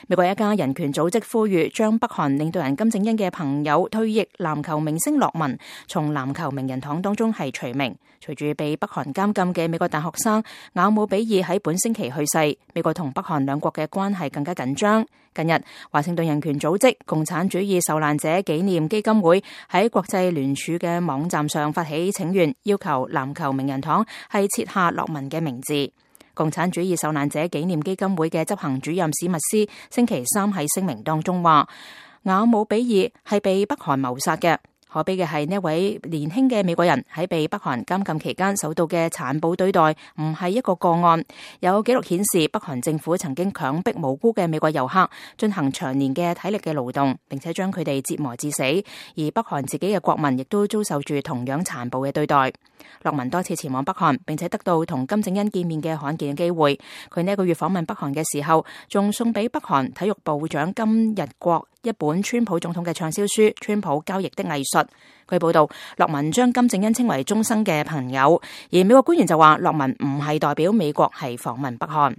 美國一家人權組織呼籲將北韓領導人金正恩嘅朋友退役籃球明星洛文從籃球名人堂當中係除名。隨住被北韓監禁嘅美國大學生雅姆比爾喺本星期去世，美國同北韓兩國嘅關係更加緊張。近日，華盛頓人權組織共產主義受難者紀念基金會喺國際聯署嘅網站上發起請願，要求籃球名人堂係設下洛文嘅名字。共產主義受難者紀念基金會嘅執行主任史密斯星期三喺聲明當中話，雅姆比爾係被北韓謀殺嘅。可悲嘅係呢位年輕嘅美國人喺被北韓監禁期間受到嘅殘暴對待唔係一個個案。有紀錄顯示，北韓政府曾經強迫無辜嘅美國遊客進行長年嘅體力嘅勞動，並且將佢哋折磨致死。而北韓自己嘅國民亦都遭受住同樣殘暴嘅對待。洛文多次前往北韓，並且得到同金正恩見面嘅罕見嘅機會。佢呢個月訪問北韓嘅時候，仲送俾北韓體育部長金日國一本川普總統嘅暢銷書《川普交易的藝術》。據報道，洛文將金正恩稱為終生嘅朋友，而美國官員就話洛文唔係代表美國係訪問北韓。